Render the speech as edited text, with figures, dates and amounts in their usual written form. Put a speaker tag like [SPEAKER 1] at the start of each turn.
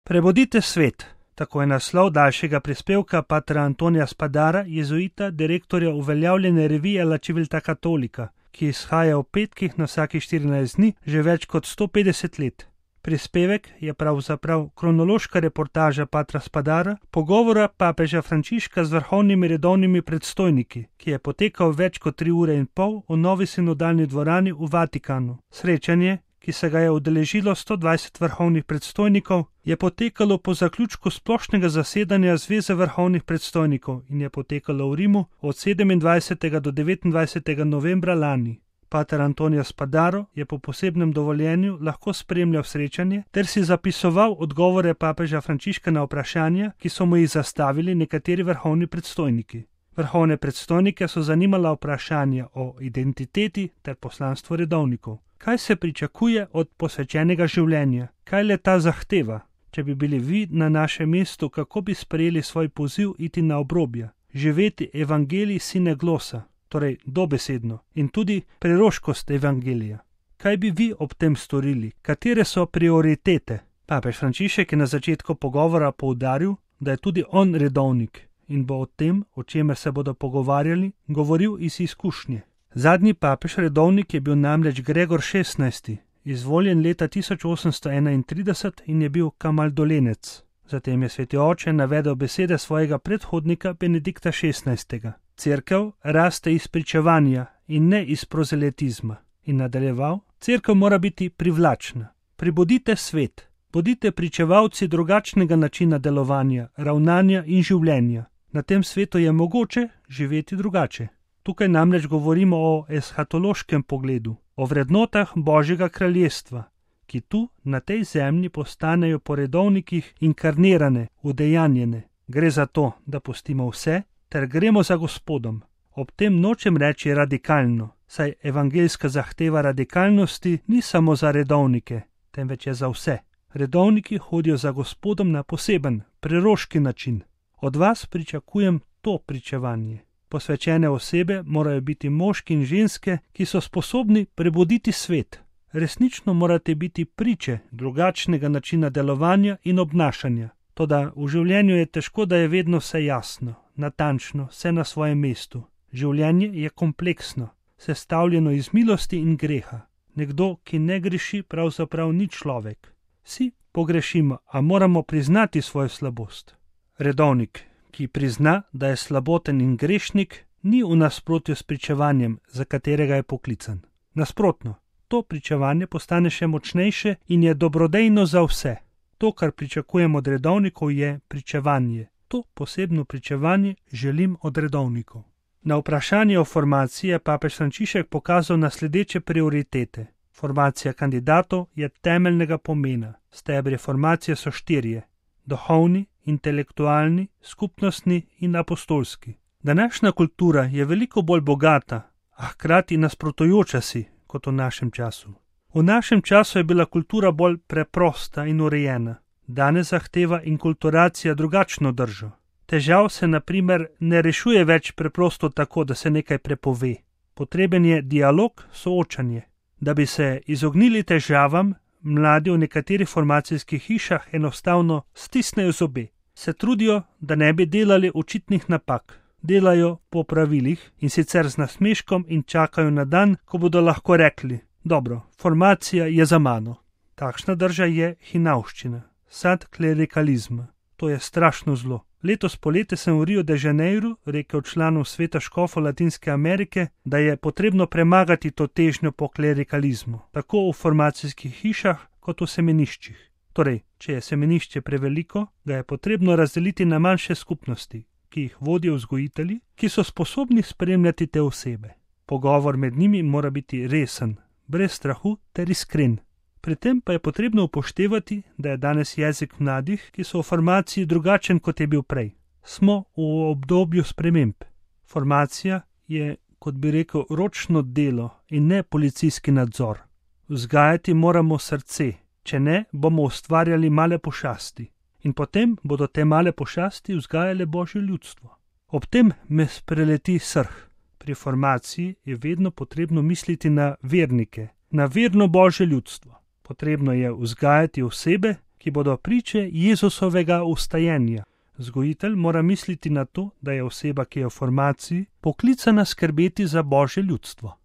[SPEAKER 1] Prebudite svet, tako je naslov daljšega prispevka patra Antonija Spadara, jezuita, direktorja uveljavljene revije La Civiltà Cattolica, ki izhaja v petkih na vsakih 14 dni že več kot 150 let. Prispevek je pravzaprav kronološka reportaža patra Spadara, pogovora papeža Frančiška z vrhovnimi redovnimi predstojniki, ki je potekal več kot 3 ure in pol v novi sinodalni dvorani v Vatikanu. Srečanje, ki se ga je udeležilo 120 vrhovnih predstojnikov, je potekalo po zaključku splošnega zasedanja Zveze vrhovnih predstojnikov in je potekalo v Rimu od 27. do 29. novembra lani. Pater Antonio Spadaro je po posebnem dovoljenju lahko spremljal srečanje ter si zapisoval odgovore papeža Frančiška na vprašanja, ki so mu jih zastavili nekateri vrhovni predstojniki. Vrhovne predstojnike so zanimala vprašanja o identiteti ter poslanstvu redovnikov. Kaj se pričakuje od posvečenega življenja? Kaj le ta zahteva? Če bi bili vi na našem mestu, kako bi sprejeli svoj poziv iti na obrobja, živeti evangelij sine glosa, torej dobesedno, in tudi preroškost evangelija. Kaj bi vi ob tem storili? Katere so prioritete? Papež Frančišek je na začetku pogovora poudaril, da je tudi on redovnik in bo o tem, o čemer se bodo pogovarjali, govoril iz izkušnje. Zadnji papež redovnik je bil namreč Gregor XVI, izvoljen leta 1831 in je bil kamaldolenec. Zatem je sveti oče navedel besede svojega predhodnika Benedikta XVI. Cerkev raste iz pričevanja in ne iz prozelitizma. In nadaljeval, cerkev mora biti privlačna. Prebudite svet, bodite pričevalci drugačnega načina delovanja, ravnanja in življenja. Na tem svetu je mogoče živeti drugače. Tukaj namreč govorimo o eshatološkem pogledu, o vrednotah Božjega kraljestva, ki tu na tej zemlji postanejo po redovnikih inkarnirane, udejanjene. Gre za to, da pustimo vse ter gremo za Gospodom. Ob tem nočem reči radikalno, saj evangeljska zahteva radikalnosti ni samo za redovnike, temveč je za vse. Redovniki hodijo za Gospodom na poseben, preroški način. Od vas pričakujem to pričevanje. Posvečene osebe morajo biti moški in ženske, ki so sposobni prebuditi svet. Resnično morate biti priče drugačnega načina delovanja in obnašanja. Toda v življenju je težko, da je vedno vse jasno, natančno, vse na svojem mestu. Življenje je kompleksno, sestavljeno iz milosti in greha. Nekdo, ki ne greši, pravzaprav ni človek. Vsi pogrešimo, a moramo priznati svojo slabost. Redovnik, ki prizna, da je slaboten in grešnik, ni v nasprotju s pričevanjem, za katerega je poklican. Nasprotno, to pričevanje postane še močnejše in je dobrodejno za vse. To, kar pričakujem od redovnikov, je pričevanje. To posebno pričevanje želim od redovnikov. Na vprašanje o formaciji je papež Frančišek pokazal nasledeče prioritete. Formacija kandidatov je temeljnega pomena. Stebri formacije so 4: duhovni, intelektualni, skupnostni in apostolski. Današnja kultura je veliko bolj bogata, a hkrati nasprotujoča si kot v našem času. V našem času je bila kultura bolj preprosta in urejena. Danes zahteva inkulturacija drugačno držo. Težav se na primer ne rešuje več preprosto tako, da se nekaj prepove. Potreben je dialog, soočanje. Da bi se izognili težavam, mladi v nekaterih formacijskih hišah enostavno stisnejo zobe. Se trudijo, da ne bi delali očitnih napak. Delajo po pravilih in sicer z nasmeškom in čakajo na dan, ko bodo lahko rekli: dobro, formacija je za mano. Takšna drža je hinavščina, sad klerikalizma. To je strašno zlo. Letos poleti sem v Rio de Janeiro rekel članom sveta škofov Latinske Amerike, da je potrebno premagati to težnjo po klerikalizmu, tako v formacijskih hišah kot v semeniščih. Torej, če je semenišče preveliko, ga je potrebno razdeliti na manjše skupnosti, ki jih vodijo vzgojitelji, ki so sposobni spremljati te osebe. Pogovor med njimi mora biti resen, brez strahu ter iskren. Pri tem pa je potrebno upoštevati, da je danes jezik mladih, ki so v formaciji, drugačen kot je bil prej. Smo v obdobju sprememb. Formacija je, kot bi rekel, ročno delo in ne policijski nadzor. Vzgajati moramo srce, če ne, bomo ustvarjali male pošasti. In potem bodo te male pošasti vzgajale Božje ljudstvo. Ob tem me spreleti srh. Pri formaciji je vedno potrebno misliti na vernike, na verno Božje ljudstvo. Potrebno je vzgajati osebe, ki ki bodo priče Jezusovega vstajenja. Vzgojitelj mora misliti na to, da je oseba, ki je v formaciji, poklicana skrbeti za Božje ljudstvo.